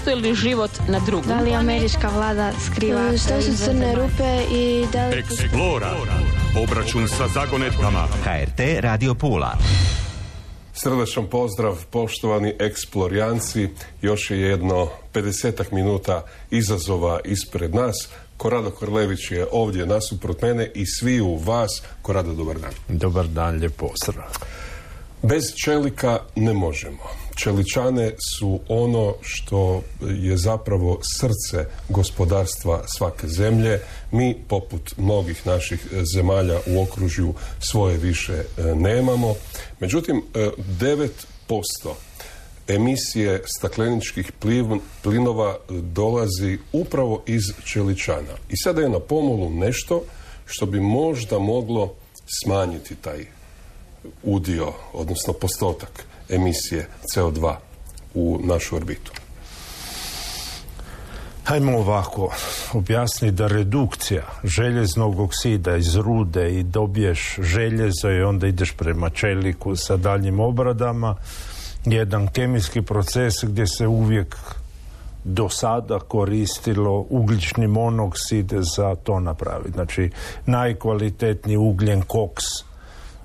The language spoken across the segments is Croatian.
postoji li život na drugom? Da li američka vlada skriva? Što su crne rupe i da li... Explora. Obračun sa zagonetkama. HRT Radio Pula. Srdačan pozdrav, poštovani eksplorijanci. Još je jedno 50 minuta izazova ispred nas. Korado Korlević je ovdje nasuprot mene i svi u vas. Korado, dobar dan. Dobar dan, lijep pozdrav. Bez čelika ne možemo. Čeličane su ono što je zapravo srce gospodarstva svake zemlje. Mi, poput mnogih naših zemalja u okružju, svoje više nemamo. Međutim, 9% emisije stakleničkih plinova dolazi upravo iz čeličana. I sada je na pomolu nešto što bi možda moglo smanjiti taj udio, odnosno postotak emisije CO2 u našu orbitu. Hajmo ovako objasniti da redukcija željeznog oksida iz rude i dobiješ željezo i onda ideš prema čeliku sa daljnjim obradama, jedan kemijski proces gdje se uvijek do sada koristilo ugljični monoksid za to napraviti. Znači, najkvalitetniji ugljen koks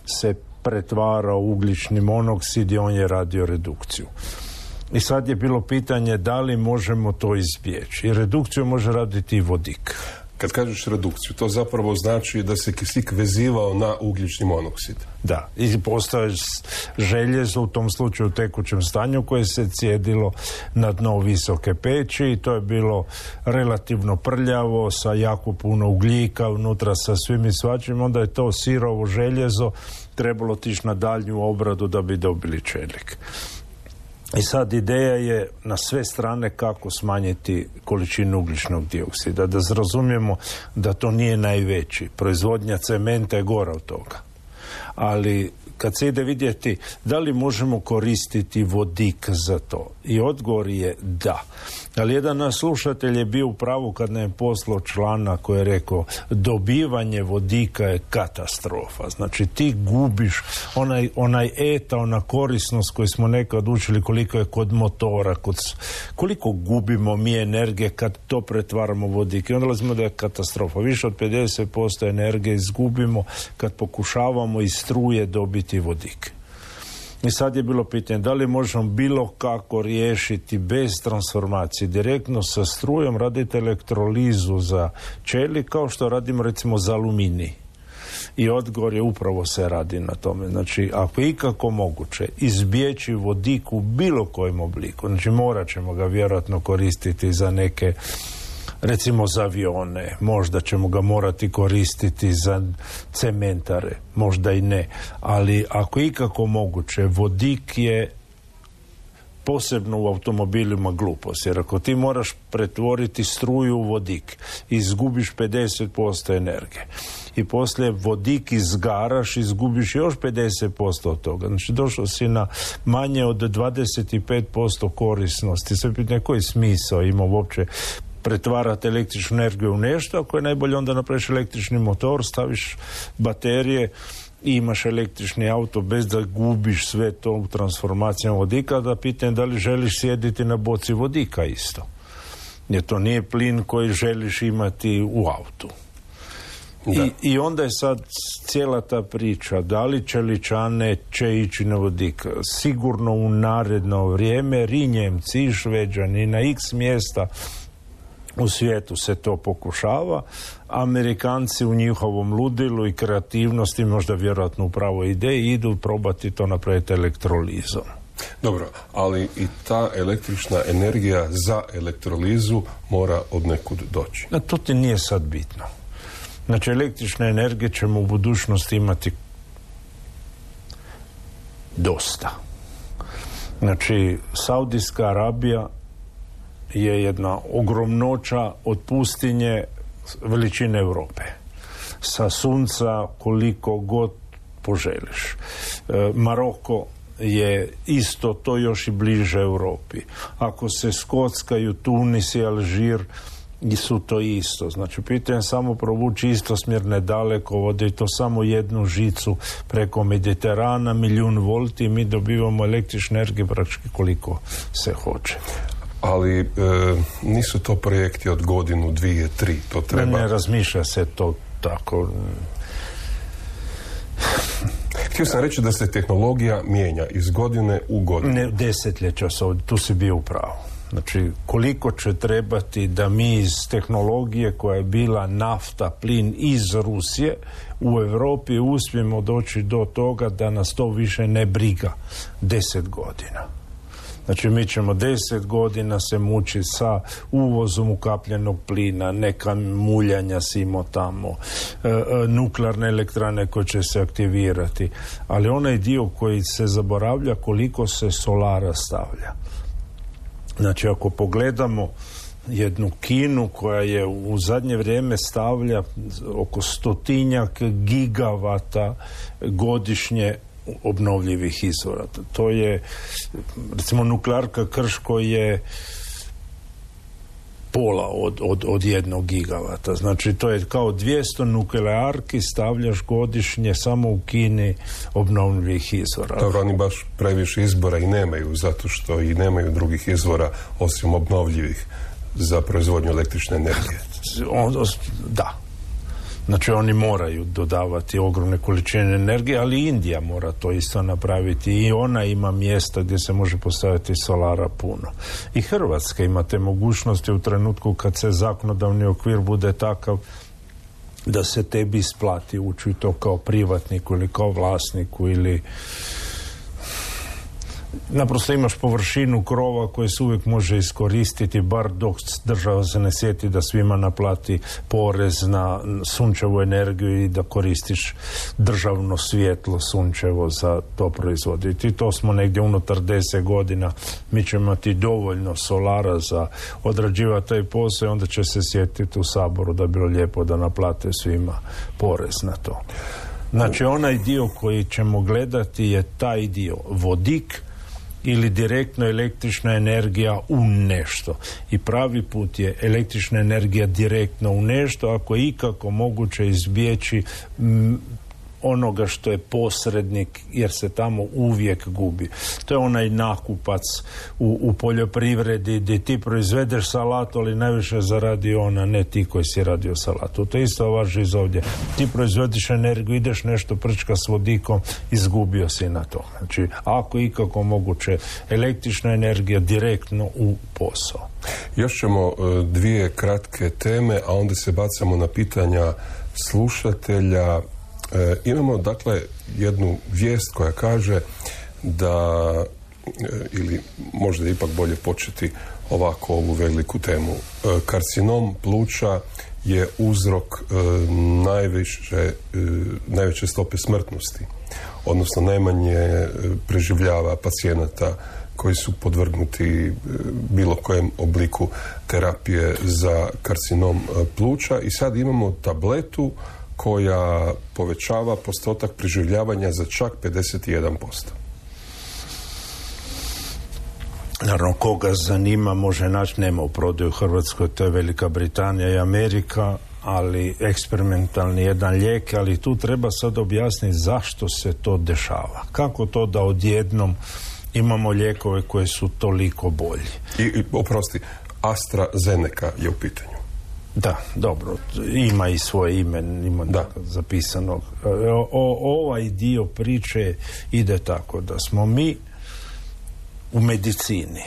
se pretvara u ugljični monoksid i on je radio redukciju. I sad je bilo pitanje da li možemo to izbjeći. I redukciju može raditi i vodik. Kad kažeš redukciju, to zapravo znači da se kisik vezivao na ugljični monoksid. Da, i postoje željezo u tom slučaju u tekućem stanju koje se cijedilo na dno visoke peći i to je bilo relativno prljavo sa jako puno ugljika unutra sa svim i svačim, onda je to sirovo željezo trebalo otići na daljnju obradu da bi dobili čelik. I sad ideja je na sve strane kako smanjiti količinu ugljičnog dioksida. Da razumijemo da to nije najveći. Proizvodnja cementa je gora od toga. Ali kad se ide vidjeti da li možemo koristiti vodik za to. I odgovor je da. Ali jedan naš slušatelj je bio u pravu kad nam je poslao članak koji je rekao dobivanje vodika je katastrofa. Znači ti gubiš onaj eta, ona korisnost koju smo nekad učili koliko je kod motora, koliko gubimo mi energije kad to pretvaramo vodik. I onda lazimo da je katastrofa. Više od 50% energije izgubimo kad pokušavamo iz struje dobiti vodik. I sad je bilo pitanje da li možemo bilo kako riješiti bez transformacije, direktno sa strujom raditi elektrolizu za čelik kao što radimo recimo za aluminij. I odgovor je upravo se radi na tome. Znači, ako je ikako moguće izbjeći vodik u bilo kojem obliku, znači morat ćemo ga vjerojatno koristiti za neke, recimo za avione, možda ćemo ga morati koristiti za cementare, možda i ne, ali ako je ikako moguće, vodik je posebno u automobilima glupost, jer ako ti moraš pretvoriti struju u vodik, izgubiš 50% energije i poslije vodik izgaraš, izgubiš još 50% od toga. Znači došao si na manje od 25% korisnosti. Sve pitanje koji smisao ima uopće pretvarati električnu energiju u nešto, ako je najbolje onda napraviš električni motor, staviš baterije i imaš električni auto bez da gubiš sve to u transformacijama vodika, da pitanje da li želiš sjediti na boci vodika isto. Jer to nije plin koji želiš imati u autu. I onda je sad cijela ta priča, da li čeličane će ići na vodik. Sigurno u naredno vrijeme Rinjemci i Šveđani na x mjesta u svijetu se to pokušava. Amerikanci u njihovom ludilu i kreativnosti, možda vjerojatno u pravoj ideji, idu probati to napraviti elektrolizom. Dobro, ali i ta električna energija za elektrolizu mora od nekud doći. To ti nije sad bitno. Znači, električne energije ćemo u budućnosti imati dosta. Znači, Saudijska Arabija je jedna ogromnoća od pustinje veličine Europe. Sa sunca koliko god poželiš. Maroko je isto to još i bliže Europi. Ako se skockaju Tunis i Alžir, su to isto. Znači, pitanje samo provući istosmjerne dalekovode i to samo jednu žicu preko Mediterana, 1.000.000 volti i mi dobivamo električne energije praktički koliko se hoće. ali nisu to projekti od godinu, 2, 3, to treba... Ne razmišlja se to tako. Htio sam reći da se tehnologija mijenja iz godine u godinu. Ne, desetljeća se ovdje, tu si bio u pravu. Znači, koliko će trebati da mi iz tehnologije koja je bila nafta, plin iz Rusije, u Europi uspijemo doći do toga da nas to više ne briga 10 godina. Znači, mi ćemo 10 godina se mučiti sa uvozom ukapljenog plina, neka muljanja simo tamo, nuklearne elektrane koje će se aktivirati, ali onaj dio koji se zaboravlja koliko se solara stavlja. Znači, ako pogledamo jednu Kinu koja je u zadnje vrijeme stavlja oko 100 gigavata godišnje obnovljivih izvora. To je, recimo, nuklearka Krško je pola od 1 gigavata. Znači, to je kao 200 nuklearki stavljaš godišnje samo u Kini obnovljivih izvora. Dobro, oni baš previše izbora i nemaju, zato što i nemaju drugih izvora osim obnovljivih za proizvodnju električne energije. Da. Znači, oni moraju dodavati ogromne količine energije, ali Indija mora to isto napraviti i ona ima mjesta gdje se može postaviti solara puno. I Hrvatska ima te mogućnosti u trenutku kad se zakonodavni okvir bude takav da se tebi isplati ući u to kao privatniku ili kao vlasniku ili naprosto imaš površinu krova koje se uvijek može iskoristiti, bar dok država se ne sjeti da svima naplati porez na sunčevu energiju i da koristiš državno svjetlo sunčevo za to proizvoditi. I to smo negdje unutar 10 godina. Mi ćemo imati dovoljno solara za odrađivati taj posao i onda će se sjetiti u Saboru da bi bilo lijepo da naplate svima porez na to. Znači, onaj dio koji ćemo gledati je taj dio vodik ili direktno električna energija u nešto. I pravi put je električna energija direktno u nešto, ako je ikako moguće izbjeći onoga što je posrednik, jer se tamo uvijek gubi. To je onaj nakupac u poljoprivredi gdje ti proizvedeš salatu, ali najviše zaradi ona, ne ti koji si radio salatu. To isto važi iz ovdje. Ti proizvediš energiju, ideš nešto prčka s vodikom, izgubio si na to. Znači, ako ikako moguće, električna energija direktno u posao. Još ćemo 2 kratke teme, a onda se bacamo na pitanja slušatelja. Imamo, dakle, jednu vijest koja kaže da, ili možda je ipak bolje početi ovako ovu veliku temu. Karcinom pluća je uzrok najveće stope smrtnosti, odnosno najmanje preživljava pacijenata koji su podvrgnuti bilo kojem obliku terapije za karcinom pluća i sad imamo tabletu koja povećava postotak preživljavanja za čak 51%. Naravno, koga zanima može naći, nema u prodaju u Hrvatskoj, to je Velika Britanija i Amerika, ali eksperimentalni jedan lijek, ali tu treba sad objasniti zašto se to dešava. Kako to da odjednom imamo lijekove koji su toliko bolji? I oprosti, AstraZeneca je u pitanju. Da, dobro, ima i svoje ime, ima zapisano. Ovaj dio priče ide tako da smo mi u medicini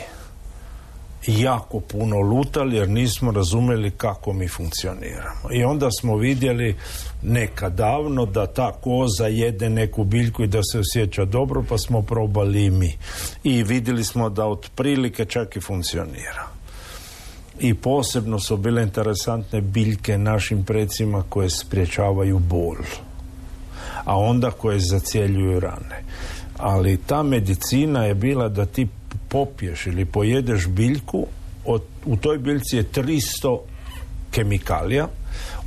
jako puno lutali jer nismo razumjeli kako mi funkcioniramo. I onda smo vidjeli nekad davno da ta koza jede neku biljku i da se osjeća dobro, pa smo probali i mi. I vidjeli smo da otprilike čak i funkcionira. I posebno su bile interesantne biljke našim precima koje sprječavaju bol, a onda koje zacjeljuju rane. Ali ta medicina je bila da ti popiješ ili pojedeš biljku, u toj biljci je 300 kemikalija,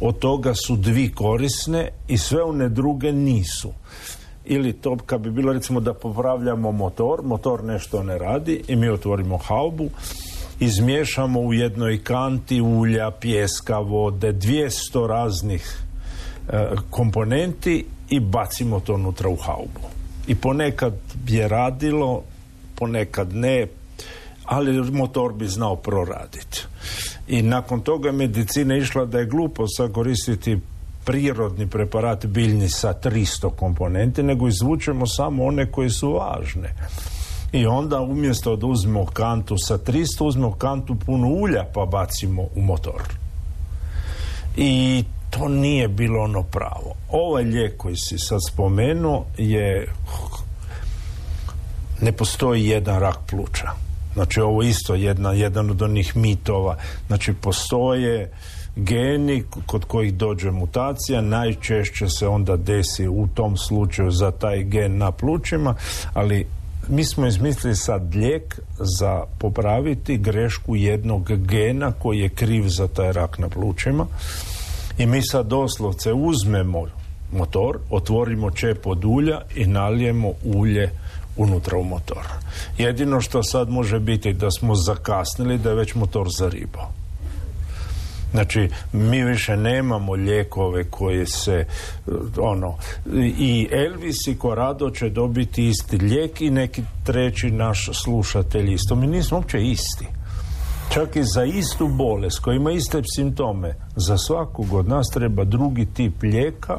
od toga su 2 korisne i sve one druge nisu. Ili to kad bi bilo recimo da popravljamo motor nešto ne radi i mi otvorimo haubu, izmiješamo u jednoj kanti ulja, pijeska, vode, 200 raznih komponenti i bacimo to unutra u haubu. I ponekad je radilo, ponekad ne, ali motor bi znao proraditi. I nakon toga medicina išla da je glupo sad koristiti prirodni preparat biljni sa 300 komponenti, nego izvučemo samo one koje su važne. I onda umjesto da uzmemo kantu sa 300, uzmemo kantu puno ulja pa bacimo u motor. I to nije bilo ono pravo. Ovaj lijek koji si sad spomenuo ne postoji jedan rak pluća. Znači ovo isto jedan od onih mitova. Znači postoje geni kod kojih dođe mutacija, najčešće se onda desi u tom slučaju za taj gen na plućima, ali mi smo izmislili sad lijek za popraviti grešku jednog gena koji je kriv za taj rak na plućima i mi sad doslovce uzmemo motor, otvorimo čep od ulja i nalijemo ulje unutra u motor. Jedino što sad može biti da smo zakasnili, da je već motor zaribao. Znači, mi više nemamo lijekove koje se, i Elvis i Corrado će dobiti isti lijek i neki treći naš slušatelj isto. Mi nismo uopće isti. Čak i za istu bolest koja ima iste simptome, za svakog od nas treba drugi tip lijeka,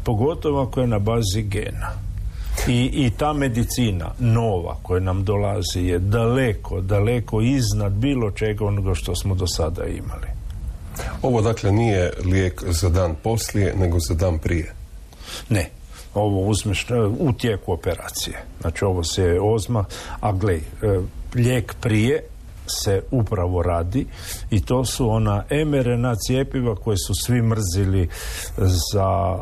pogotovo ako je na bazi gena. I ta medicina nova koja nam dolazi je daleko iznad bilo čega onoga što smo do sada imali. Ovo dakle nije lijek za dan poslije, nego za dan prije? Ne, ovo uzmeš u tijeku operacije. Znači ovo se ozma, a glej, lijek prije se upravo radi i to su ona mRNA cjepiva koje su svi mrzili za...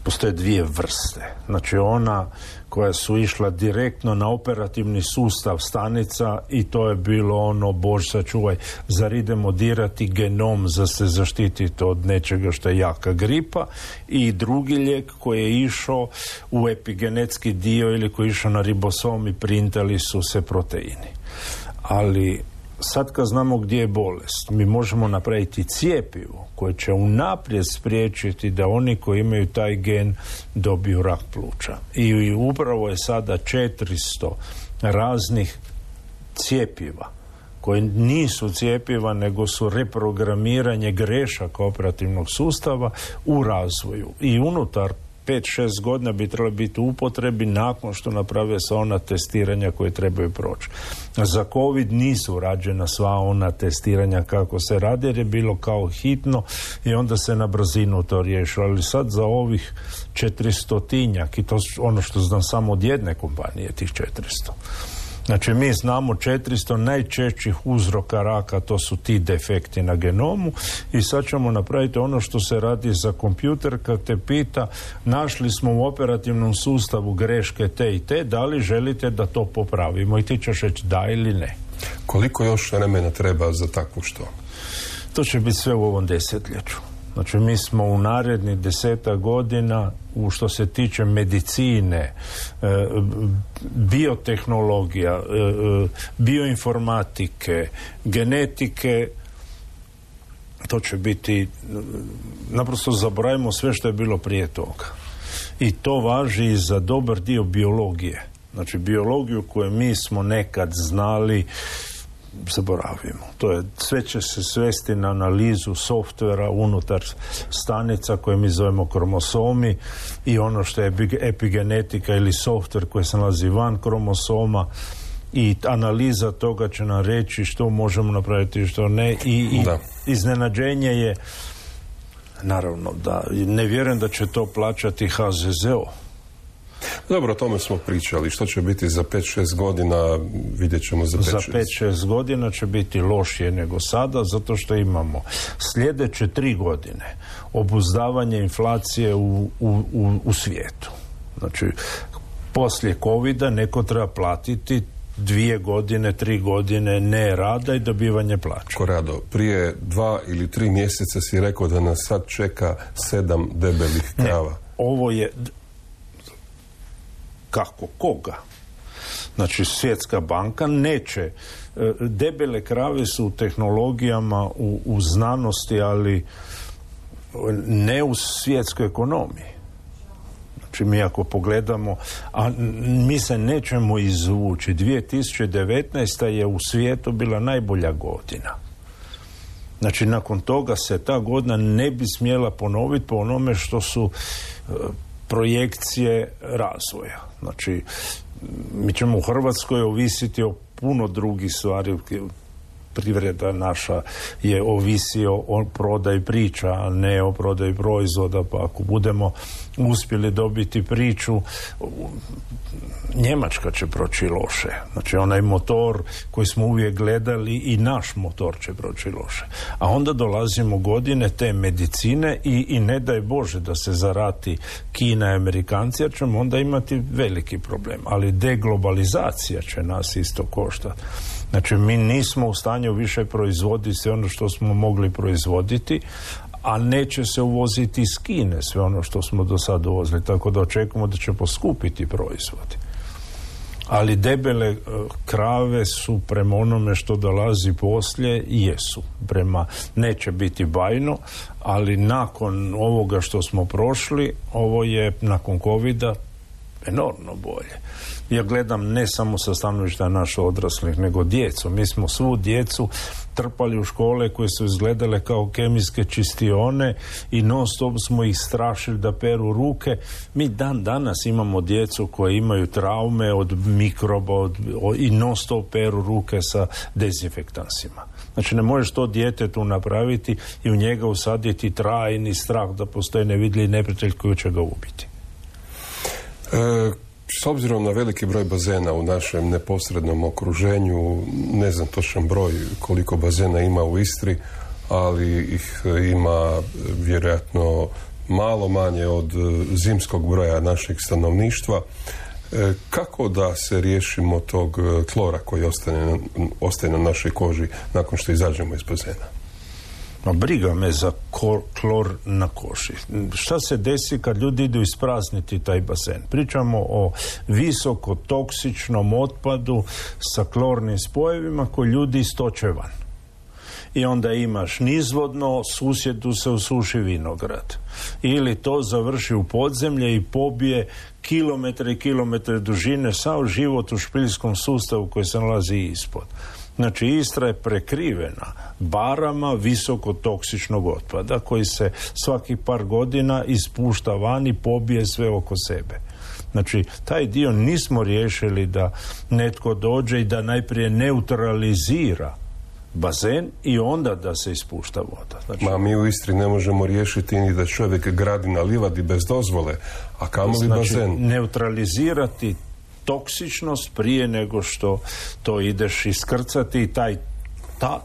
Postoje dvije vrste. Znači ona koja su išla direktno na operativni sustav stanica i to je bilo ono, Bože sačuvaj, zar idemo dirati genom za se zaštititi od nečega što je jaka gripa, i drugi lijek koji je išao u epigenetski dio ili koji je išao na ribosom i printali su se proteini. Ali sad kad znamo gdje je bolest, mi možemo napraviti cjepivo koje će unaprijed spriječiti da oni koji imaju taj gen dobiju rak pluća. I upravo je sada 400 raznih cjepiva koje nisu cjepiva nego su reprogramiranje grešaka operativnog sustava u razvoju. I unutar 5-6 godina bi trebalo biti u upotrebi nakon što naprave sva ona testiranja koje trebaju proći. Za COVID nisu rađena sva ona testiranja kako se radi, jer je bilo kao hitno i onda se na brzinu to riješilo. Ali sad za ovih 400-tinjak, i to ono što znam samo od jedne kompanije, tih 400. Znači mi znamo 400 najčešćih uzroka raka, to su ti defekti na genomu, i sad ćemo napraviti ono što se radi za kompjuter kad te pita našli smo u operativnom sustavu greške te i te, da li želite da to popravimo, i ti ćeš reći da ili ne. Koliko još vremena treba za takvu što? To će biti sve u ovom desetljeću. Znači mi smo u narednih 10 godina u što se tiče medicine, biotehnologija, bioinformatike, genetike, to će biti, naprosto zaboravimo sve što je bilo prije toga. I to važi i za dobar dio biologije. Znači biologiju koju mi smo nekad znali, zaboravimo. Sve će se svesti na analizu softvera unutar stanica koje mi zovemo kromosomi, i ono što je epigenetika ili softver koji se nalazi van kromosoma, i analiza toga će nam reći što možemo napraviti i što ne, i iznenađenje je, naravno da ne vjerujem da će to plaćati HZZO. Dobro, o tome smo pričali. Što će biti za 5-6 godina, vidjet ćemo za 5-6. Za 5-6 godina će biti lošije nego sada, zato što imamo sljedeće 3 godine obuzdavanje inflacije u svijetu. Znači, poslije covida neko treba platiti 2 godine, 3 godine ne rada i dobivanje plaća. Corrado, prije 2 ili 3 mjeseca si rekao da nas sad čeka 7 debelih krava. Ne, ovo je... Kako? Koga? Znači, Svjetska banka neće. Debele krave su u tehnologijama, u znanosti, ali ne u svjetskoj ekonomiji. Znači, Znači mi ako pogledamo, a mi se nećemo izvući. 2019. je u svijetu bila najbolja godina. Znači nakon toga se ta godina ne bi smjela ponoviti po onome što su projekcije razvoja. Znači mi ćemo u Hrvatskoj ovisiti o puno drugih stvari. Privreda naša je ovisi o prodaji priča, a ne o prodaji proizvoda, pa ako budemo uspjeli dobiti priču, Njemačka će proći loše. Znači onaj motor koji smo uvijek gledali i naš motor će proći loše. A onda dolazimo godine te medicine i ne daj Bože da se zarati Kina i Amerikanci, jer ćemo onda imati veliki problem. Ali deglobalizacija će nas isto koštati. Znači mi nismo u stanju više proizvoditi sve ono što smo mogli proizvoditi, a neće se uvoziti iz Kine sve ono što smo do sada uvozili, tako da očekujemo da će poskupiti proizvodi. Ali debele krave su prema onome što dolazi poslije, jesu. Neće biti bajno, ali nakon ovoga što smo prošli, ovo je nakon covida enormno bolje. Ja gledam ne samo sa stanovišta naših odraslih, nego djecu. Mi smo svu djecu trpali u škole koje su izgledale kao kemijske čistione i non stop smo ih strašili da peru ruke. Mi danas imamo djecu koje imaju traume od mikroba i non stop peru ruke sa dezinfektansima. Znači ne možeš to djetetu napraviti i u njega usaditi trajni strah da postoji nevidljivi neprijatelj koji će ga ubiti. S obzirom na veliki broj bazena u našem neposrednom okruženju, ne znam točan broj koliko bazena ima u Istri, ali ih ima vjerojatno malo manje od zimskog broja našeg stanovništva. Kako da se riješimo tog klora koji ostaje na našoj koži nakon što izađemo iz bazena? Briga me za klor na koži. Šta se desi kad ljudi idu isprazniti taj bazen? Pričamo o visoko toksičnom otpadu sa klornim spojevima koji ljudi istoče van. I onda imaš nizvodno, susjedu se usuši vinograd. Ili to završi u podzemlje i pobije kilometre i kilometre dužine sav život u špiljskom sustavu koji se nalazi ispod. Znači Istra je prekrivena barama visoko toksičnog otpada koji se svakih par godina ispušta van i pobije sve oko sebe. Znači taj dio nismo riješili da netko dođe i da najprije neutralizira bazen i onda da se ispušta voda. Znači, mi u Istri ne možemo riješiti ni da čovjek gradi na livadi bez dozvole, a kamoli bazen. Neutralizirati toksičnost prije nego što to ideš iskrcati i taj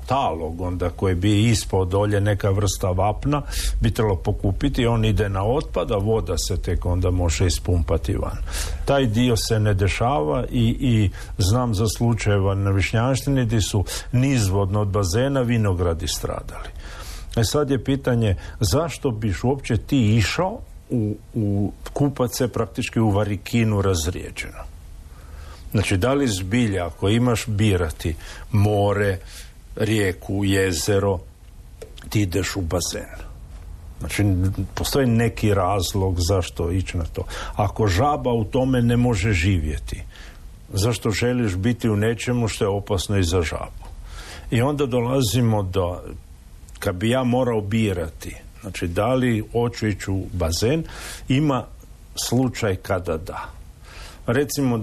talog onda koji bi ispod dolje neka vrsta vapna bi trebalo pokupiti, on ide na otpad, a voda se tek onda može ispumpati van. Taj dio se ne dešava i znam za slučajeva na Višnjanštini gdje su nizvodno od bazena vinogradi stradali. Sad je pitanje zašto biš uopće ti išao u kupat se praktički u varikinu razrijeđeno. Znači, da li zbilja, ako imaš birati more, rijeku, jezero, ti ideš u bazen. Znači, postoji neki razlog zašto ići na to. Ako žaba u tome ne može živjeti, zašto želiš biti u nečemu što je opasno i za žabu? I onda dolazimo do, kad bi ja morao birati, znači, da li hoću ići u bazen, ima slučaj kada da. Recimo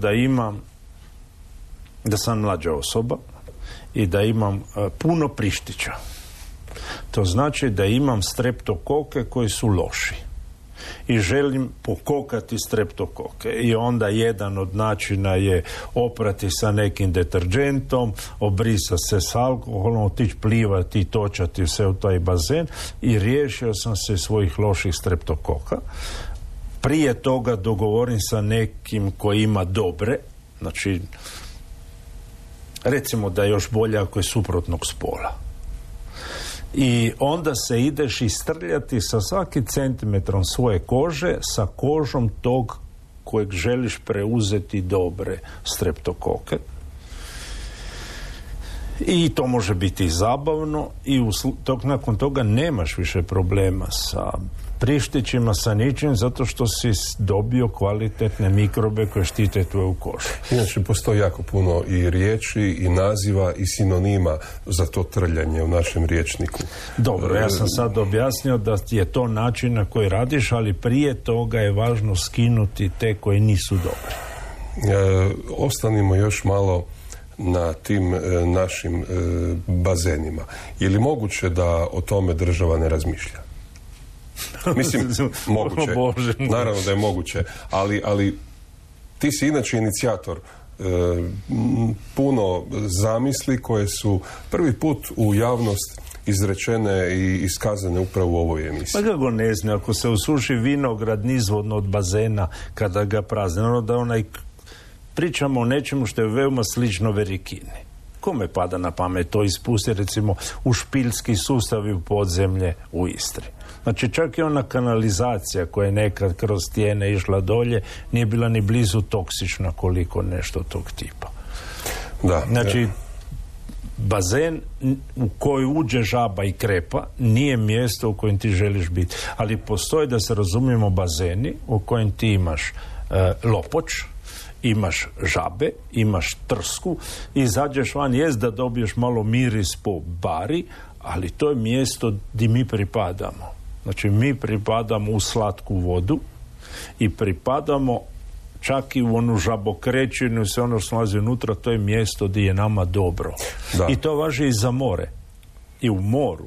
da sam mlađa osoba i da imam puno prištića. To znači da imam streptokoke koji su loši. I želim pokokati streptokoke. I onda jedan od načina je oprati sa nekim deterđentom, obrisa se s alkoholom, otići plivati i točati se u taj bazen i riješio sam se svojih loših streptokoka. Prije toga dogovorim sa nekim koji ima dobre, znači recimo da je još bolje ako je suprotnog spola. I onda se ideš istrljati sa svakim centimetrom svoje kože sa kožom tog kojeg želiš preuzeti dobre streptokoke. I to može biti zabavno i nakon toga nemaš više problema sa prištićima, sa ničim, zato što si dobio kvalitetne mikrobe koje štite tvoju kožu. Inače, postoji jako puno i riječi, i naziva, i sinonima za to trljanje u našem rječniku. Dobro, ja sam sad objasnio da je to način na koji radiš, ali prije toga je važno skinuti te koji nisu dobri. Ostanimo još malo na tim našim bazenima. Je li moguće da o tome država ne razmišlja? Mislim, moguće. Naravno da je moguće. Ali ti si inače inicijator puno zamisli koje su prvi put u javnost izrečene i iskazane upravo u ovoj emisiji. Pa kako ne znam, ako se usuši vinograd nizvodno od bazena kada ga prazne, ono da pričamo o nečemu što je veoma slično verikini. Kome pada na pamet to ispusti, recimo, u špiljski sustav i u podzemlje u Istri? Znači, čak i ona kanalizacija koja je nekad kroz stijene išla dolje nije bila ni blizu toksična koliko nešto tog tipa. Da. Znači, bazen u koji uđe žaba i krepa nije mjesto u kojem ti želiš biti. Ali postoje, da se razumijemo, bazeni u kojem ti imaš lopoč, imaš žabe, imaš trsku, izađeš van, jest da dobiješ malo miris po bari, ali to je mjesto gdje mi pripadamo. Znači, mi pripadamo u slatku vodu i pripadamo čak i u onu žabokrećinu i sve ono što nalazi unutra, to je mjesto gdje je nama dobro. Da. I to važi i za more. I u moru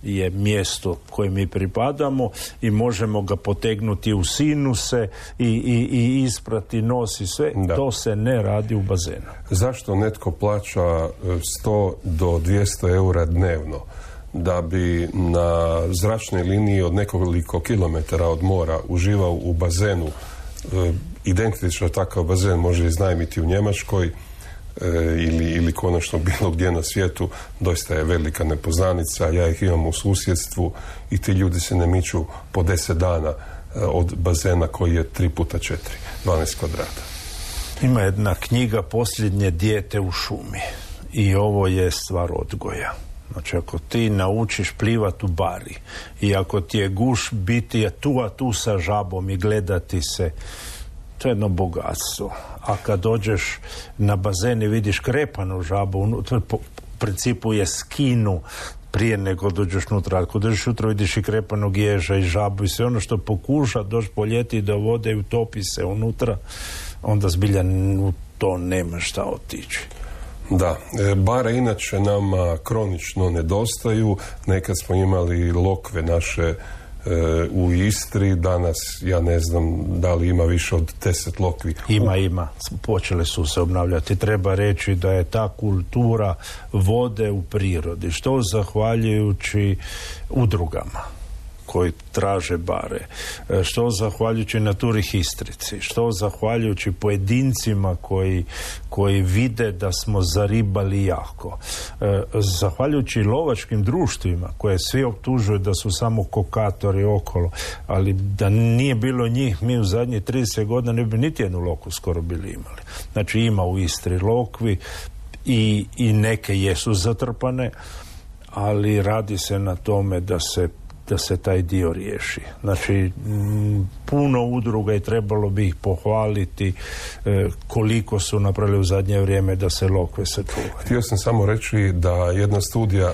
je mjesto koje mi pripadamo i možemo ga potegnuti u sinuse i isprati nos i sve. Da. To se ne radi u bazenu. Zašto netko plaća 100 do 200 eura dnevno da bi na zračnoj liniji od nekoliko kilometara od mora uživao u bazenu? Identično takav bazen može iznajmiti u Njemačkoj ili konačno bilo gdje na svijetu. Doista je velika nepoznanica. Ja ih imam u susjedstvu i ti ljudi se ne miču po 10 dana od bazena koji je 3x4, 12 kvadrata. Ima jedna knjiga Posljednje dijete u šumi i ovo je stvar odgoja. Znači, ako ti naučiš plivat u bari i ako ti je guš biti tu a tu sa žabom i gledati se, to je jedno bogatstvo. A kad dođeš na bazen i vidiš krepanu žabu, to u principu je skinu prije nego dođeš unutra. Ako dođeš unutra vidiš i krepanog ježa i žabu i sve ono što pokuša doći po ljeti do vode i utopi se unutra, onda zbilja u to nema šta otići. Da, bare inače nama kronično nedostaju. Nekad smo imali lokve naše u Istri, danas ja ne znam da li ima više od 10 lokvi. Ima. Počele su se obnavljati. Treba reći da je ta kultura vode u prirodi, što zahvaljujući udrugama koji traže bare, što zahvaljujući Naturi Histrici, što zahvaljujući pojedincima koji vide da smo zaribali jako, zahvaljujući lovačkim društvima koje svi optužuju da su samo kokatori okolo, ali da nije bilo njih, mi u zadnjih 30 godina ne bi niti jednu loku skoro bili imali. Znači, ima u Istri lokvi i neke jesu zatrpane, ali radi se na tome da se taj dio riješi. Znači, puno udruga i trebalo bi ih pohvaliti koliko su napravili u zadnje vrijeme da se lokve sačuvaju. Htio sam samo reći da jedna studija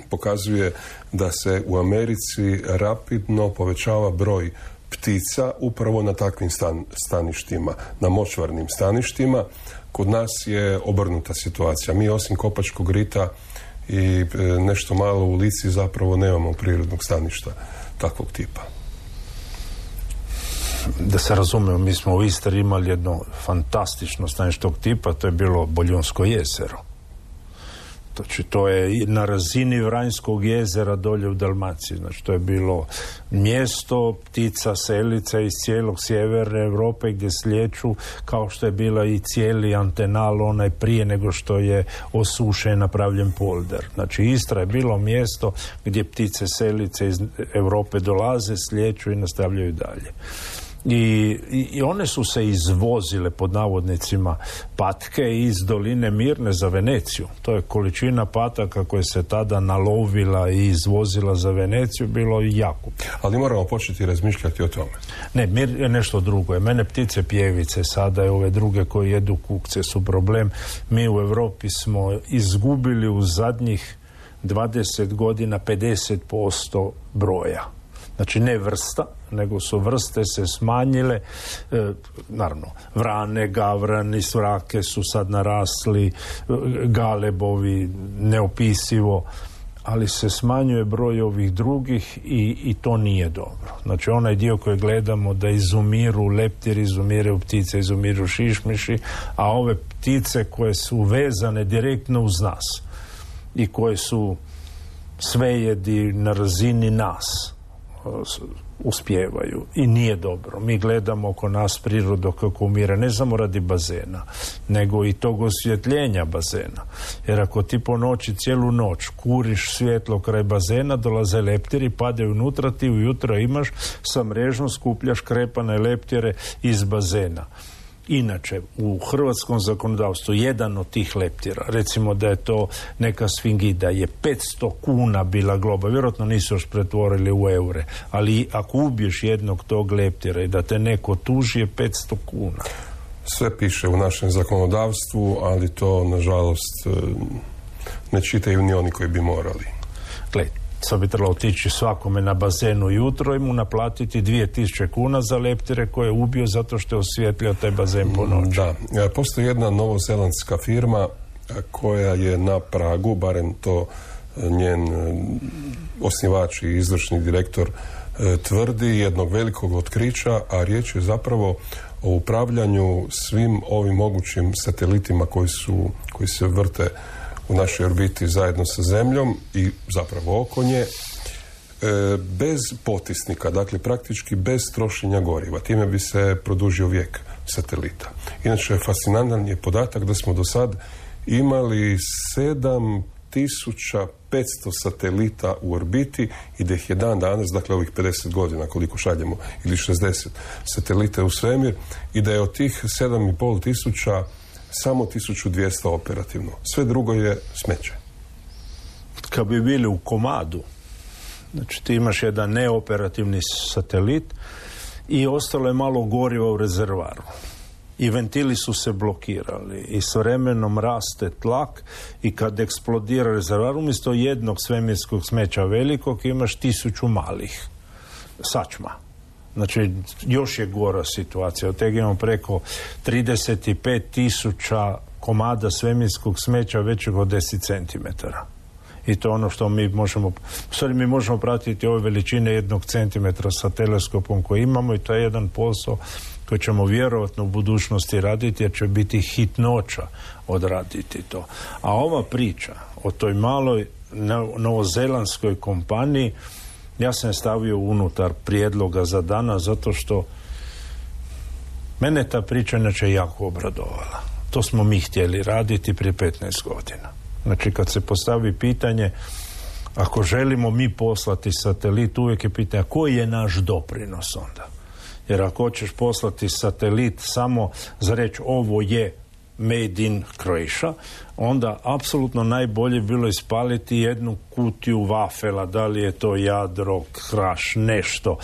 pokazuje da se u Americi rapidno povećava broj ptica upravo na takvim staništima, na močvarnim staništima. Kod nas je obrnuta situacija. Mi osim Kopačkog rita i nešto malo u Lici zapravo nemamo prirodnog staništa takvog tipa. Da se razumemo, mi smo u Istri imali jedno fantastično stanište tog tipa, to je bilo Boljunsko jezero. Znači, to je na razini Vranjskog jezera dolje u Dalmaciji. Znači, to je bilo mjesto ptica, selica iz cijelog sjeverne Europe gdje slijeću, kao što je bila i cijeli Antenal onaj prije nego što je osušen napravljen polder. Znači, Istra je bilo mjesto gdje ptice, selice iz Europe dolaze, slijeću i nastavljaju dalje. I one su se izvozile pod navodnicima patke iz doline Mirne za Veneciju. To je količina pataka koja se tada nalovila i izvozila za Veneciju, bilo jako. Ali moramo početi razmišljati o tome. Ne, mir je nešto drugo. Mene ptice pjevice sada i ove druge koje jedu kukce su problem. Mi u Europi smo izgubili u zadnjih 20 godina 50% broja. Znači ne vrsta, nego su vrste se smanjile, naravno, vrane, gavrani, svrake su sad narasli, galebovi, neopisivo, ali se smanjuje broj ovih drugih i to nije dobro. Znači onaj dio koji gledamo da izumiru leptiri, izumiru ptice, izumiru šišmiši, a ove ptice koje su vezane direktno uz nas i koje su svejedi na razini nas, uspijevaju i nije dobro. Mi gledamo oko nas prirodu kako umire, ne samo radi bazena, nego i tog osvjetljenja bazena. Jer ako ti po noći cijelu noć kuriš svjetlo kraj bazena, dolaze leptiri, padaju unutra, ti ujutro imaš sa mrežom skupljaš krepane leptire iz bazena. Inače, u hrvatskom zakonodavstvu jedan od tih leptira, recimo da je to neka sfingida, je 500 kuna bila globa, vjerojatno nisu još pretvorili u eure, ali ako ubiješ jednog tog leptira i da te neko tuži je 500 kuna. Sve piše u našem zakonodavstvu, ali to, nažalost, ne čitaju ni oni koji bi morali. Gledajte, sad bi trebalo otići svakome na bazenu jutro i mu naplatiti 2000 kuna za leptire koje je ubio zato što je osvjetlio taj bazen po noći. Da, postoji jedna novozelandska firma koja je na pragu, barem to njen osnivač i izvršni direktor tvrdi, jednog velikog otkrića, a riječ je zapravo o upravljanju svim ovim mogućim satelitima koji se vrte u našoj orbiti zajedno sa Zemljom i zapravo oko nje, bez potisnika, dakle praktički bez trošenja goriva. Time bi se produžio vijek satelita. Inače, fascinantan je podatak da smo do sad imali 7500 satelita u orbiti i da ih je dan danas, dakle ovih 50 godina koliko šaljemo, ili 60 satelita u svemir, i da je od tih 7500 samo 1200 operativno. Sve drugo je smeće. Kad bi bili u komadu, znači ti imaš jedan neoperativni satelit i ostalo je malo goriva u rezervaru. I ventili su se blokirali i s vremenom raste tlak i kad eksplodira rezervar, umjesto jednog svemirskog smeća velikog imaš 1000 malih sačma. Znači, još je gora situacija. Od tega imamo preko 35.000 komada svemirskog smeća većeg od 10 centimetara. I to ono što mi možemo, mi možemo pratiti ove veličine 1 centimetra sa teleskopom koji imamo i to je jedan posao koji ćemo vjerojatno u budućnosti raditi jer će biti hitnoća odraditi to. A ova priča o toj maloj novozelandskoj kompaniji, ja sam je stavio unutar prijedloga za danas zato što mene ta priča inače jako obradovala. To smo mi htjeli raditi prije 15 godina. Znači kad se postavi pitanje ako želimo mi poslati satelit, uvijek je pitanje koji je naš doprinos onda. Jer ako hoćeš poslati satelit samo za reći ovo je made in Croatia, onda apsolutno najbolje bilo ispaliti jednu kutiju vafela, da li je to Jadro, Kraš, nešto.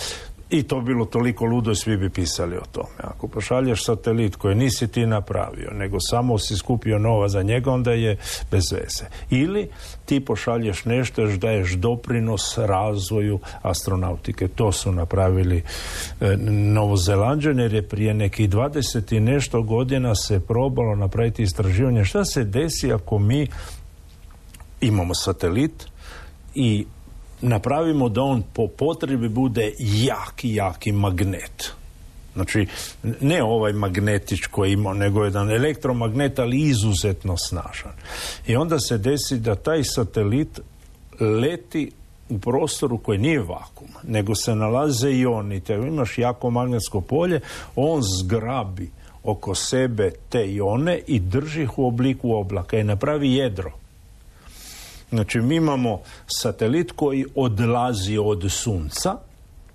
I to bilo toliko ludo i svi bi pisali o tome. Ako pošalješ satelit koji nisi ti napravio, nego samo si skupio nova za njega, onda je bez veze. Ili ti pošalješ nešto još daješ doprinos razvoju astronautike. To su napravili Novozelanđani, jer je prije nekih 20 i nešto godina se probalo napraviti istraživanje. Šta se desi ako mi imamo satelit i napravimo da on po potrebi bude jaki magnet. Znači, ne ovaj magnetić koji ima, nego jedan elektromagnet, ali izuzetno snažan. I onda se desi da taj satelit leti u prostoru koji nije vakum, nego se nalaze ioni. Te imaš jako magnetsko polje, on zgrabi oko sebe te ione i drži ih u obliku oblaka i napravi jedro. Znači, mi imamo satelit koji odlazi od Sunca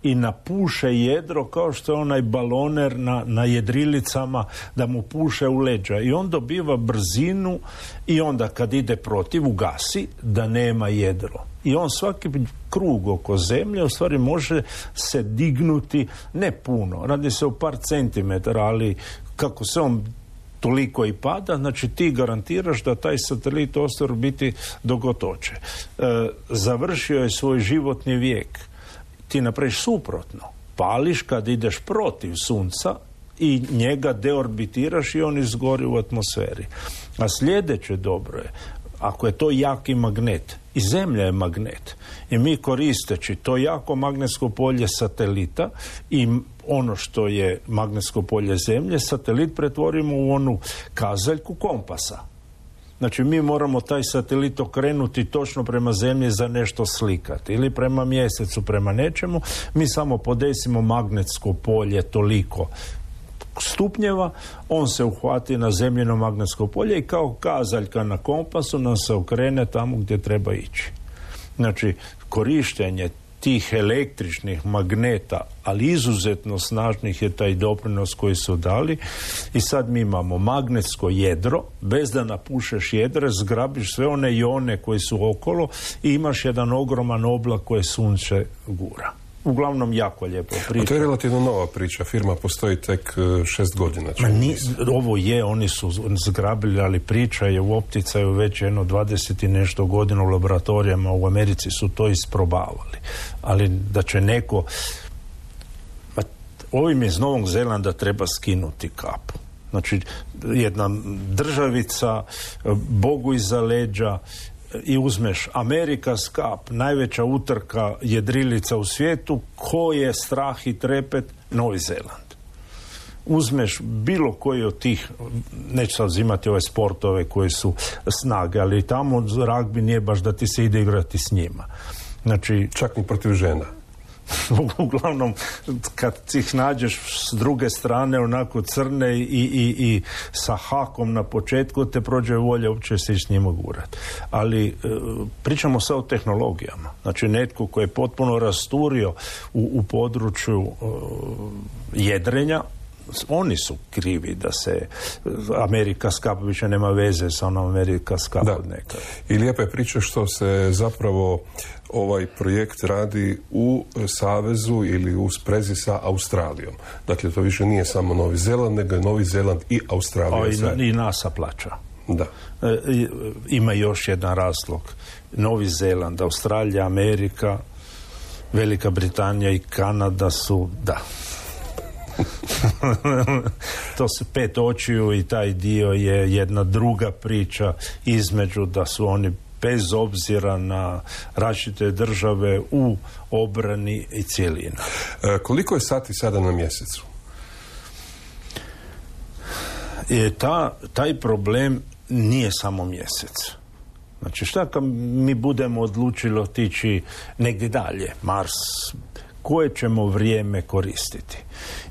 i napuše jedro kao što je onaj baloner na jedrilicama da mu puše u leđa i on dobiva brzinu i onda kad ide protiv ugasi da nema jedro. I on svaki krug oko zemlje u stvari može se dignuti, ne puno, radi se o par centimetara, ali kako se on toliko i pada, znači ti garantiraš da taj satelit ostaje u biti dok god hoće. Završio je svoj životni vijek. Ti napraviš suprotno. Pališ kad ideš protiv sunca i njega deorbitiraš i on izgori u atmosferi. A sljedeće dobro je, ako je to jaki magnet, i Zemlja je magnet, i mi koristeći to jako magnetsko polje satelita i ono što je magnetsko polje Zemlje, satelit pretvorimo u onu kazaljku kompasa. Znači mi moramo taj satelit okrenuti točno prema Zemlji za nešto slikati ili prema mjesecu, prema nečemu. Mi samo podesimo magnetsko polje toliko stupnjeva, on se uhvati na zemljino magnetsko polje i kao kazaljka na kompasu nam se okrene tamo gdje treba ići. Znači, korištenje tih električnih magneta, ali izuzetno snažnih je taj doprinos koji su dali i sad mi imamo magnetsko jedro, bez da napušeš jedre, zgrabiš sve one ione koji su okolo i imaš jedan ogroman oblak koje sunce gura. Uglavnom jako lijepo priča. A to je relativno nova priča. Firma postoji tek 6 godina. Ovo je, oni su zgrabili, ali priča je u opticaju već 20 i nešto godina u laboratorijama u Americi su to isprobavali. Ali da će neko... Ovim iz Novog Zelanda treba skinuti kapu. Znači, jedna državica, Bogu iza leđa, i uzmeš America's Cup, najveća utrka jedrilica u svijetu, ko je strah i trepet? Novi Zeland. Uzmeš bilo koji od tih, neću sad uzimati ove sportove koji su snage, ali tamo ragbi nije baš da ti se ide igrati s njima. Znači, čak ni protiv žena. Uglavnom, kad ih nađeš s druge strane onako crne i sa hakom na početku, te prođe volja uopće se s njima gurati. Ali pričamo sad o tehnologijama. Znači, netko koji je potpuno rasturio u području jedrenja, oni su krivi da se America's Cup više nema veze sa onom America's Cup od nekada. I lijepa je priča što se zapravo ovaj projekt radi u savezu ili u sprezi sa Australijom. Dakle, to više nije samo Novi Zeland, nego je Novi Zeland i Australija. I NASA plaća. Da. Ima još jedan razlog. Novi Zeland, Australija, Amerika, Velika Britanija i Kanada su, to se 5 očiju i taj dio je jedna druga priča između da su oni bez obzira na različite države u obrani i cijelina. Koliko je sati sada na mjesecu? Taj problem nije samo mjesec. Znači šta kad mi budemo odlučili otići negdje dalje, Mars, koje ćemo vrijeme koristiti?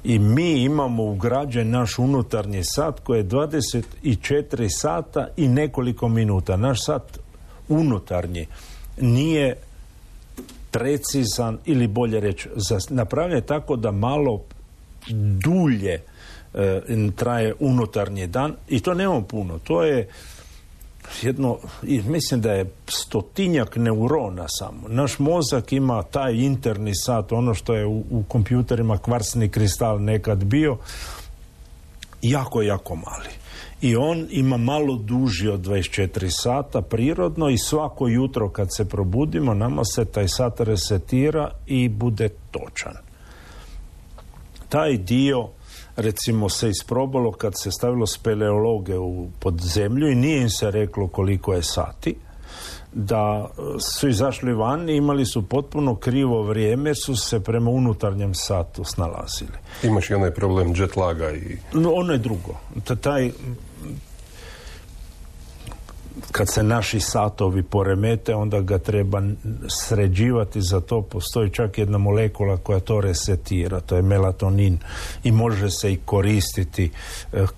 I mi imamo ugrađen naš unutarnji sat koji je 24 sata i nekoliko minuta. Naš sat unutarnji nije precizan ili bolje reći napravljen tako da malo dulje traje unutarnji dan i to nemamo puno. To je mislim da je 100-tinjak neurona samo. Naš mozak ima taj interni sat, ono što je u kompjuterima kvarsni kristal nekad bio, jako, jako mali. I on ima malo duži od 24 sata prirodno i svako jutro kad se probudimo nama se taj sat resetira i bude točan. Taj dio recimo se isprobalo kad se stavilo speleologe pod zemlju i nije im se reklo koliko je sati, da su izašli van i imali su potpuno krivo vrijeme jer su se prema unutarnjem satu snalazili. Imaš i onaj problem jet laga i... Ono je drugo. Kad se naši satovi poremete, onda ga treba sređivati, za to postoji čak jedna molekula koja to resetira, to je melatonin i može se i koristiti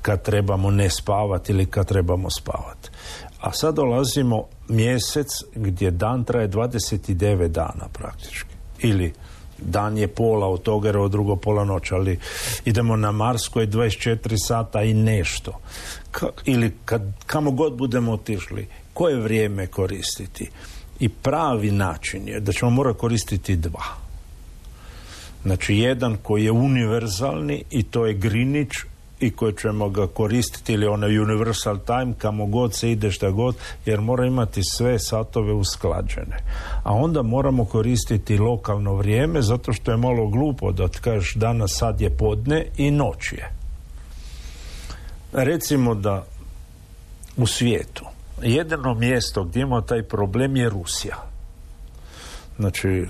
kad trebamo ne spavati ili kad trebamo spavati. A sad dolazimo mjesec gdje dan traje 29 dana praktički. Ili Dan je pola od toga, jer ovo drugo pola noć, ali idemo na Mars koji je 24 sata i nešto. Ili kamo god budemo otišli, koje vrijeme koristiti? I pravi način je da ćemo morati koristiti dva. Znači, jedan koji je univerzalni i to je Greenwich i koji ćemo ga koristiti, ili onaj universal time, kamo god se ide, šta god, jer mora imati sve satove usklađene. A onda moramo koristiti lokalno vrijeme, zato što je malo glupo da kažeš danas sad je podne i noć je. Recimo da u svijetu jedino mjesto gdje ima taj problem je Rusija. Znači,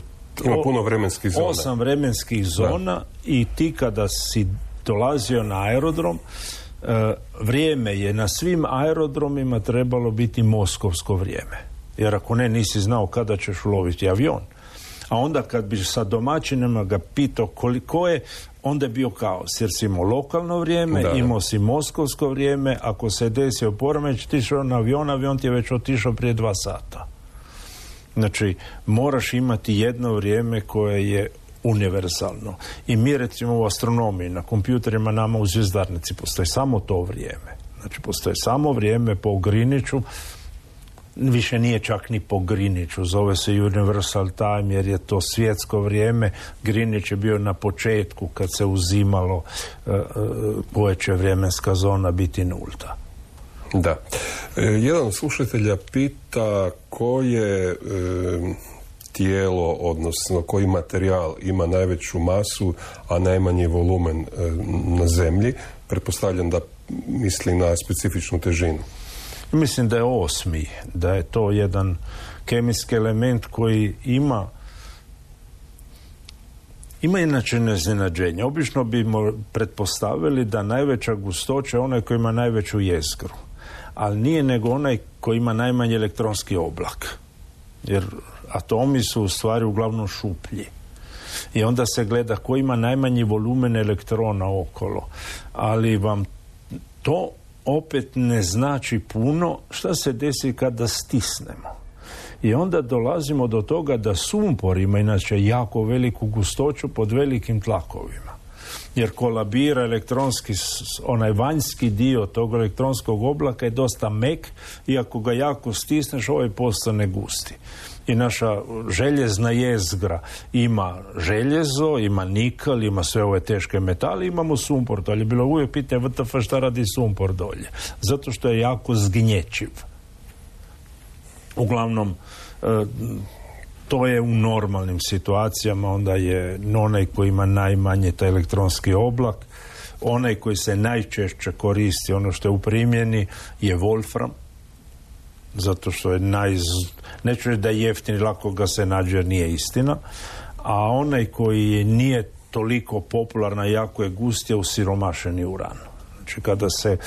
ima puno vremenskih zona. 8 vremenskih zona i ti kada si dolazio na aerodrom, vrijeme je na svim aerodromima trebalo biti moskovsko vrijeme. Jer ako ne, nisi znao kada ćeš uloviti avion. A onda kad bi sa domaćinima ga pitao koliko je, onda je bio kaos. Jer si imao lokalno vrijeme, imao si moskovsko vrijeme, ako se desio poremeć, ti išao na avion ti je već otišao prije 2 sata. Znači, moraš imati jedno vrijeme koje je univerzalno. I mi recimo u astronomiji, na kompjuterima nama u zvjezdarnici postoji samo to vrijeme. Znači, postoji samo vrijeme po Greenwichu, više nije čak ni po Greenwichu, zove se Universal Time jer je to svjetsko vrijeme. Greenwich je bio na početku kad se uzimalo koja će vremenska zona biti nulta. Da. Jedan od slušatelja pita koje tijelo, odnosno koji materijal ima najveću masu, a najmanji volumen na zemlji. Pretpostavljam da misli na specifičnu težinu. Mislim da je 8. Da je to jedan kemijski element koji ima inače iznenađenje. Obično bi pretpostavili da najveća gustoća je onaj koji ima najveću jezgru. Ali nije nego onaj koji ima najmanji elektronski oblak. Jer atomi su u stvari uglavnom šuplji. I onda se gleda koji ima najmanji volumen elektrona okolo. Ali vam to opet ne znači puno šta se desi kada stisnemo. I onda dolazimo do toga da sumpor ima inače jako veliku gustoću pod velikim tlakovima. Jer kolabira elektronski, onaj vanjski dio tog elektronskog oblaka je dosta mek i ako ga jako stisneš, ovaj postane gusti. I naša željezna jezgra ima željezo, ima nikl, ima sve ove teške metale, imamo sumpor. To je bilo uvijek pitanje WTF šta radi sumpor dolje. Zato što je jako zgnječiv. Uglavnom, to je u normalnim situacijama, onda je onaj koji ima najmanje taj elektronski oblak, onaj koji se najčešće koristi, ono što je u primjeni, je wolfram, zato što je neću reći da je jeftin i lako ga se nađe jer nije istina, a onaj koji nije toliko popularan, jako je gust, je usiromašeni uran. Znači kada se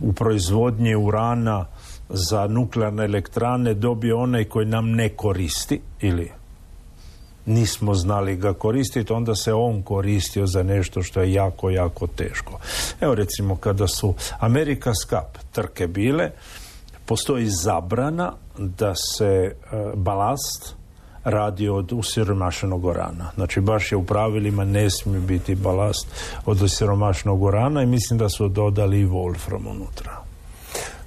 u proizvodnji urana za nuklearne elektrane dobije onaj koji nam ne koristi ili nismo znali ga koristiti, onda se on koristio za nešto što je jako, jako teško. Evo recimo kada su America's Cup trke bile, postoji zabrana da se balast radi od usiromašenog urana. Znači baš je u pravilima ne smije biti balast od usiromašenog urana i mislim da su dodali i wolfram unutra.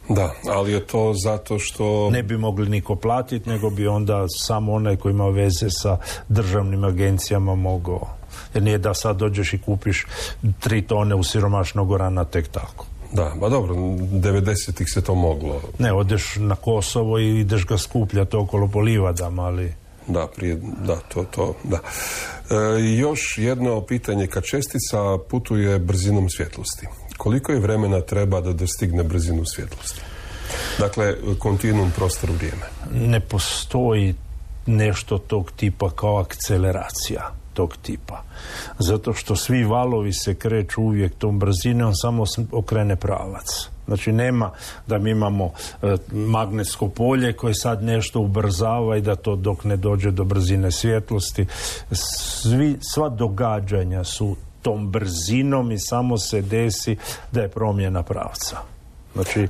Da, ali je to zato što ne bi mogli niko platiti, nego bi onda samo onaj koji ima veze sa državnim agencijama mogao. Jer nije da sad dođeš i kupiš 3 tone usiromašenog urana tek tako. Da, ba dobro, 90-ih se to moglo. Ne, odeš na Kosovo i ideš ga skupljati okolo po livadama, ali da, da. Još jedno pitanje, kad čestica putuje brzinom svjetlosti, koliko je vremena treba da dostigne brzinu svjetlosti? Dakle, kontinuum prostor vrijeme. Ne postoji nešto tog tipa kao akceleracija tog tipa. Zato što svi valovi se kreću uvijek tom brzinom, on samo okrene pravac. Znači nema da mi imamo magnetsko polje koje sad nešto ubrzava i da to dok ne dođe do brzine svjetlosti. Sva događanja su tom brzinom i samo se desi da je promjena pravca. Znači,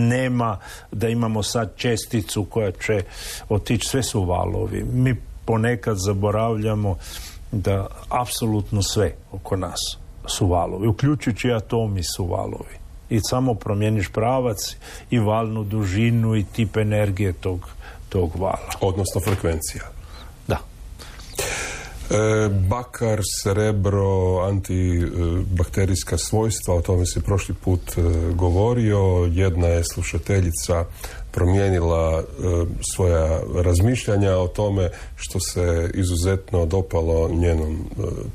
nema da imamo sad česticu koja će otići, sve su valovi. Mi ponekad zaboravljamo da apsolutno sve oko nas su valovi, uključujući atomi su valovi. I samo promijeniš pravac i valnu dužinu i tip energije tog vala. Odnosno frekvencija. Da. Bakar, srebro, antibakterijska svojstva, o tome se prošli put govorio. Jedna je slušateljica promijenila svoja razmišljanja o tome što se izuzetno dopalo njenom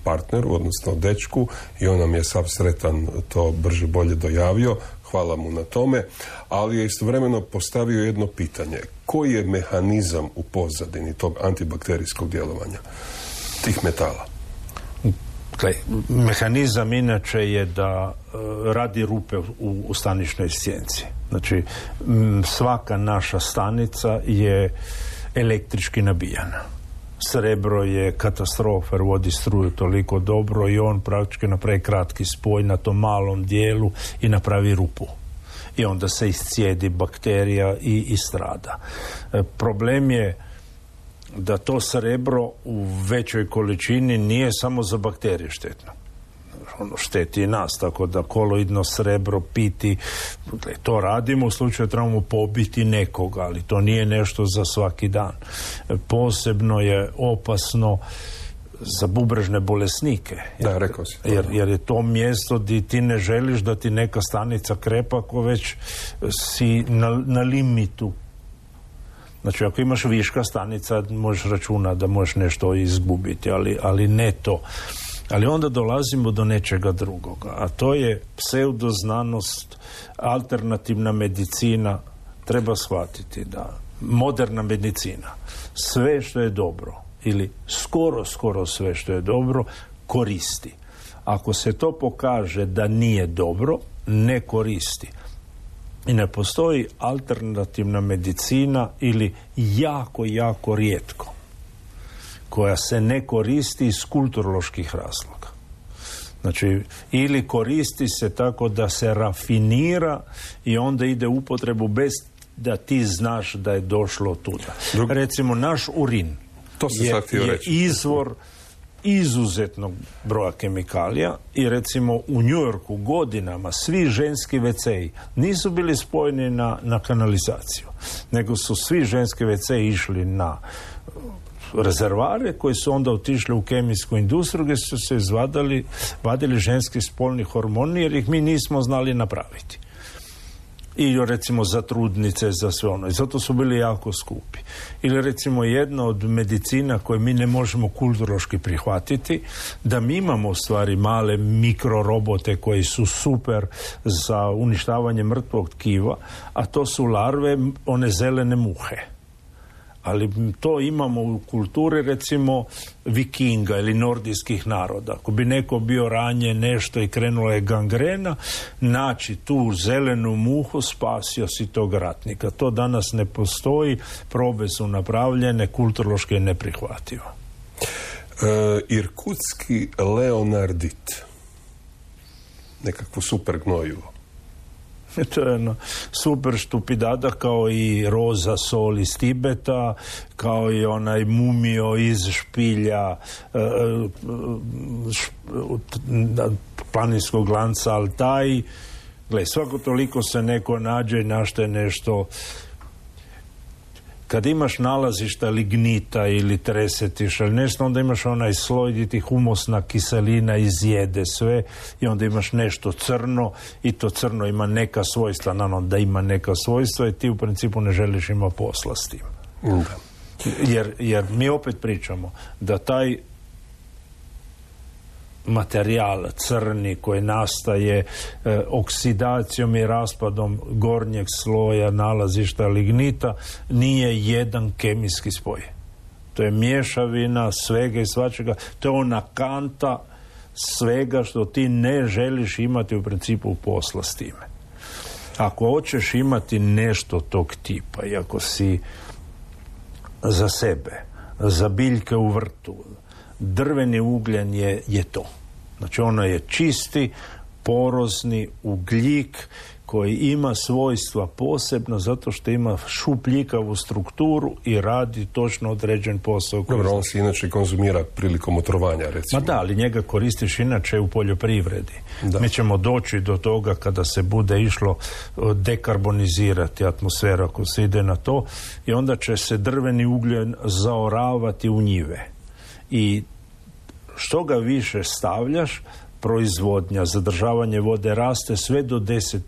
partneru, odnosno dečku, i on nam je sav sretan to brže bolje dojavio. Hvala mu na tome, ali je istovremeno postavio jedno pitanje. Koji je mehanizam u pozadini tog antibakterijskog djelovanja tih metala? Mehanizam inače je da radi rupe u staničnoj stjenci. Znači, svaka naša stanica je električki nabijana. Srebro je katastrofa jer vodi struju toliko dobro i on praktički napravi kratki spoj na tom malom dijelu i napravi rupu. I onda se iscijedi bakterija i strada. Problem je da to srebro u većoj količini nije samo za bakterije štetno. Ono šteti i nas, tako da koloidno srebro piti, to radimo u slučaju da trebamo pobiti nekoga, ali to nije nešto za svaki dan. Posebno je opasno za bubrežne bolesnike. Da, rekao si. Jer je to mjesto gdje ti ne želiš da ti neka stanica krepa ako već si na limitu. Znači, ako imaš viška stanica, možeš računati da možeš nešto izgubiti, ali ne to. Ali onda dolazimo do nečega drugoga, a to je pseudoznanost, alternativna medicina. Treba shvatiti da moderna medicina, sve što je dobro, ili skoro sve što je dobro, koristi. Ako se to pokaže da nije dobro, ne koristi. I ne postoji alternativna medicina ili jako rijetko koja se ne koristi iz kulturoloških razloga. Znači, ili koristi se tako da se rafinira i onda ide u upotrebu bez da ti znaš da je došlo tuda. Recimo, naš urin je izvor izuzetnog broja kemikalija i recimo u New Yorku godinama svi ženski WC-i nisu bili spojeni na kanalizaciju, nego su svi ženski WC-i išli na rezervare koji su onda otišli u kemijsku industriju gdje su se vadili ženski spolni hormoni jer ih mi nismo znali napraviti. I recimo za trudnice, za sve ono. I zato su bili jako skupi. Ili recimo jedna od medicina koje mi ne možemo kulturološki prihvatiti, da mi imamo u stvari male mikrorobote koji su super za uništavanje mrtvog tkiva, a to su larve, one zelene muhe. Ali to imamo u kulturi recimo Vikinga ili nordijskih naroda. Ako bi neko bio ranjen nešto i krenula je gangrena, naći tu zelenu muhu, spasio si tog ratnika. To danas ne postoji, probe su napravljene, kulturološki je neprihvatljivo. Irkutski leonardit. Nekakvo super gnojivo. To je jedna super štupidada kao i roza sol iz Tibeta, kao i onaj mumio iz špilja planinskog lanca Altaj. Gle, svako toliko se neko nađe i našte nešto. Kad imaš nalazišta lignita ili tresetiša ili nešto, onda imaš onaj sloj gdje ti humusna kiselina izjede sve i onda imaš nešto crno i to crno ima neka svojstva, naravno da ima neka svojstva i ti u principu ne želiš ima posla s tim. Jer mi opet pričamo da taj materijal crni koji nastaje oksidacijom i raspadom gornjeg sloja nalazišta lignita nije jedan kemijski spoj. To je mješavina svega i svačega. To je ona kanta svega što ti ne želiš imati u principu posla s time. Ako hoćeš imati nešto tog tipa i ako si za sebe, za biljke u vrtu, drveni ugljen je to. Znači ono je čisti, porozni ugljik koji ima svojstva posebno zato što ima šupljikavu strukturu i radi točno određen posao. Dobro, on se inače konzumira prilikom otrovanja, recimo. Ma da, ali njega koristiš inače u poljoprivredi. Da. Mi ćemo doći do toga kada se bude išlo dekarbonizirati atmosfera, ako se ide na to, i onda će se drveni ugljen zaoravati u njive. I što ga više stavljaš, proizvodnja, zadržavanje vode raste sve do 10%.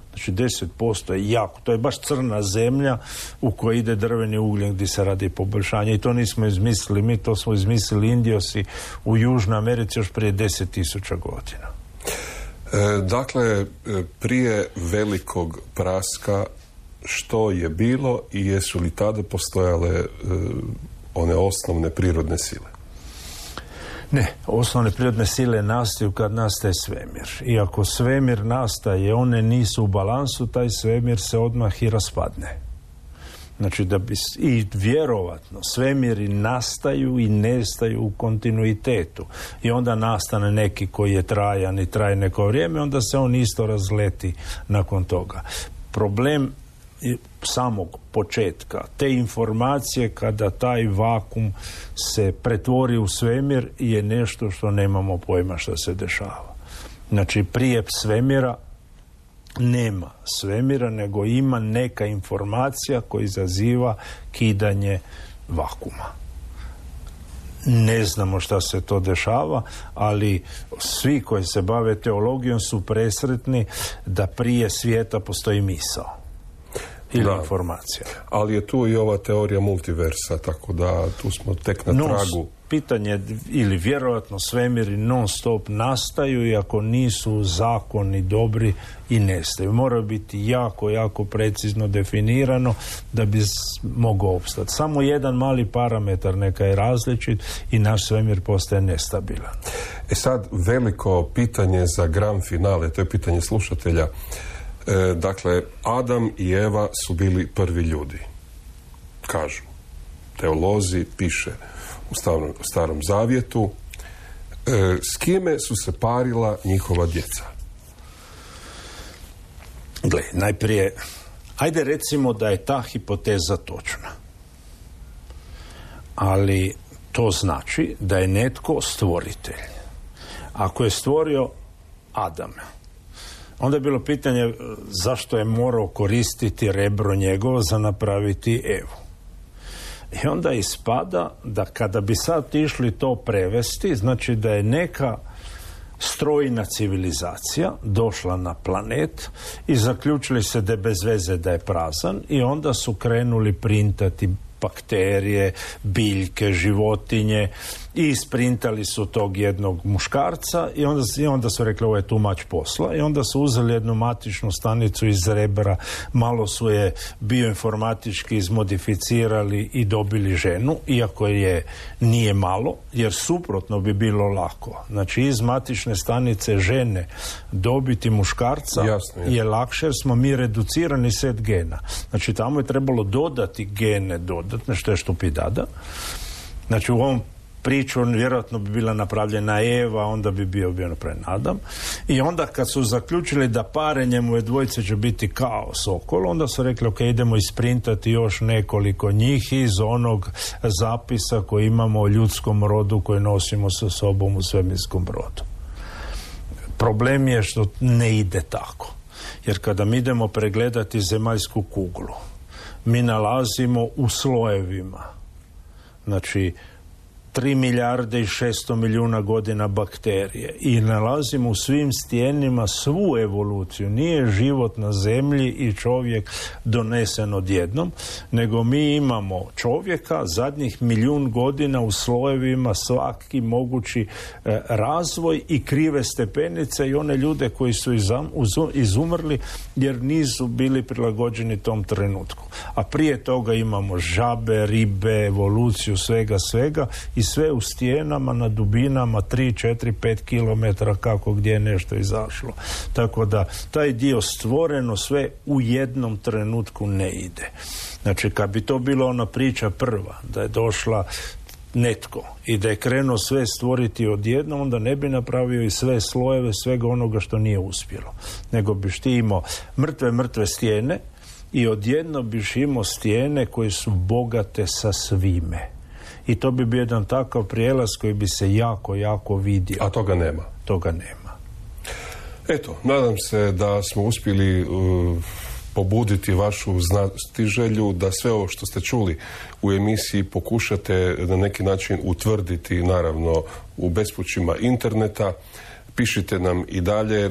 Znači 10% je jako. To je baš crna zemlja u kojoj ide drveni ugljen gdje se radi poboljšanje. I to nismo izmislili mi, to smo izmislili Indiosi u Južnoj Americi još prije 10.000 godina. Dakle, prije velikog praska što je bilo i jesu li tada postojale one osnovne prirodne sile? Ne, osnovne prirodne sile nastaju kad nastaje svemir. I ako svemir nastaje, one nisu u balansu, taj svemir se odmah i raspadne. Znači da bi, i vjerovatno, svemiri nastaju i nestaju u kontinuitetu. I onda nastane neki koji je trajan i traje neko vrijeme, onda se on isto razleti nakon toga. Problem samog početka, te informacije kada taj vakum se pretvori u svemir je nešto što nemamo pojma što se dešava. Znači prije svemira nema svemira, nego ima neka informacija koja izaziva kidanje vakuma. Ne znamo šta se to dešava, ali svi koji se bave teologijom su presretni da prije svijeta postoji misao ili informacija. Ali je tu i ova teorija multiversa, tako da tu smo tek na tragu. Pitanje, ili vjerojatno svemiri non stop nastaju i ako nisu zakoni dobri i nestaju. Mora biti jako, jako precizno definirano da bi mogao opstati. Samo jedan mali parametar neka je različit i naš svemir postaje nestabilan. Sad veliko pitanje za grand finale, to je pitanje slušatelja. Dakle, Adam i Eva su bili prvi ljudi. Kažu teolozi, piše u Starom Zavjetu. S kime su se parila njihova djeca? Gle, najprije, ajde recimo da je ta hipoteza točna. Ali to znači da je netko stvoritelj. Ako je stvorio Adama, onda je bilo pitanje zašto je morao koristiti rebro njegovo za napraviti Evu. I onda ispada da kada bi sad išli to prevesti, znači da je neka strojna civilizacija došla na planet i zaključili se da je bez veze, da je prazan, i onda su krenuli printati bakterije, biljke, životinje i isprintali su tog jednog muškarca i onda su rekli ovo je tu mać posla, i onda su uzeli jednu matičnu stanicu iz rebra, malo su je bioinformatički izmodificirali i dobili ženu, iako je nije malo, jer suprotno bi bilo lako. Znači iz matične stanice žene dobiti muškarca je lakše, jer smo mi reducirani set gena. Znači tamo je trebalo dodati gene dodatne, što je štupidada. Znači u ovom priču vjerojatno bi bila napravljena Eva, onda bi bio napravljen Adam. I onda kad su zaključili da parenjem ove dvojice će biti kao sokol, onda su rekli ok, idemo isprintati još nekoliko njih iz onog zapisa koji imamo o ljudskom rodu koji nosimo sa sobom u svemirskom brodu. Problem je što ne ide tako. Jer kada mi idemo pregledati zemaljsku kuglu, mi nalazimo u slojevima, znači 3 milijarde i 600 milijuna godina bakterije, i nalazimo u svim stijenima svu evoluciju. Nije život na zemlji i čovjek donesen odjednom, nego mi imamo čovjeka zadnjih 1.000.000 godina u slojevima, svaki mogući razvoj i krive stepenice i one ljude koji su izumrli jer nisu bili prilagođeni tom trenutku. A prije toga imamo žabe, ribe, evoluciju svega i sve u stijenama na dubinama 3, 4, 5 km kako gdje je nešto izašlo. Tako da taj dio stvoreno sve u jednom trenutku ne ide. Znači kad bi to bila ona priča prva, da je došla netko i da je krenuo sve stvoriti odjednom, onda ne bi napravio i sve slojeve svega onoga što nije uspjelo. Nego biš ti imao mrtve stijene i odjedno biš imao stijene koje su bogate sa svime. I to bi bio jedan takav prijelaz koji bi se jako, jako vidio. A toga nema? Toga nema. Eto, nadam se da smo uspjeli pobuditi vašu znatiželju, da sve ovo što ste čuli u emisiji pokušate na neki način utvrditi, naravno, u bespućima interneta. Pišite nam i dalje,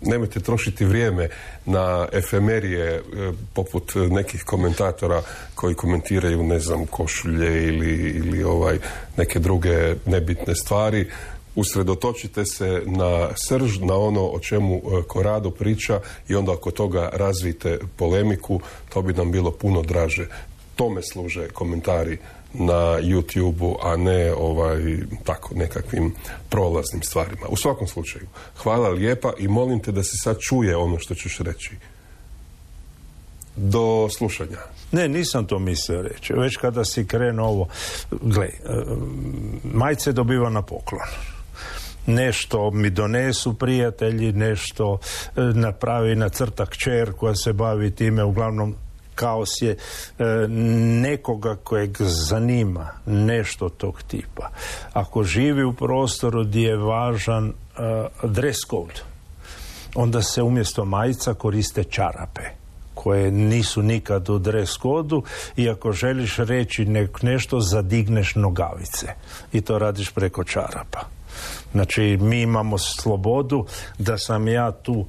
nemojte trošiti vrijeme na efemerije poput nekih komentatora koji komentiraju, ne znam, košulje ili neke druge nebitne stvari. Usredotočite se na srž, na ono o čemu Corrado priča i onda oko toga razvijte polemiku, to bi nam bilo puno draže. Tome služe komentari na YouTube-u, a ne tako nekakvim prolaznim stvarima. U svakom slučaju, hvala lijepa i molim te da se sad čuje ono što ćeš reći. Do slušanja. Ne, nisam to mislio reći. Već kada si krenuo ovo, majice dobiva na poklon. Nešto mi donesu prijatelji, nešto napravi nacrta kćer koja se bavi time, uglavnom kaos je nekoga kojeg zanima nešto tog tipa. Ako živi u prostoru gdje je važan dress code, onda se umjesto majica koriste čarape koje nisu nikad u dress kodu i ako želiš reći nešto, zadigneš nogavice i to radiš preko čarapa. Znači, mi imamo slobodu da sam ja tu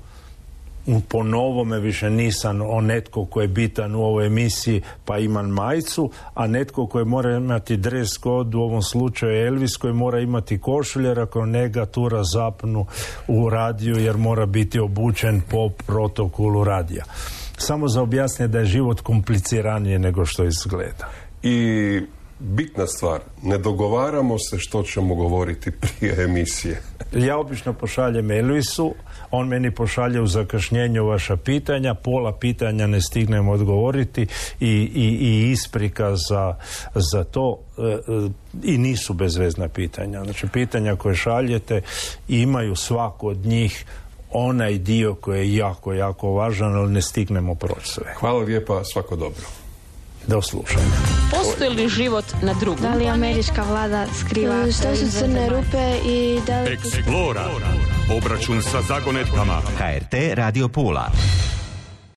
po novome, više nisam netko koji je bitan u ovoj emisiji pa imam majicu, a netko koji mora imati dress kod, u ovom slučaju Elvis, koji mora imati košulje, ako njega tura zapnu u radiju jer mora biti obučen po protokolu radija. Samo za objasniti da je život kompliciranije nego što izgleda. I bitna stvar, ne dogovaramo se što ćemo govoriti prije emisije. Ja obično pošaljem Elvisu, on meni pošalje u zakašnjenju vaša pitanja, pola pitanja ne stignem odgovoriti i isprika za to i nisu bezvezna pitanja. Znači, pitanja koje šaljete imaju svako od njih onaj dio koji je jako, jako važan, ali ne stignemo proći sve. Hvala lijepa, svako dobro. Do slušanja. Postoji li život na drugom? Da li američka vlada skriva? Što su crne rupe i da li... Explora. Obračun sa zagonetkama. HRT Radio Pula.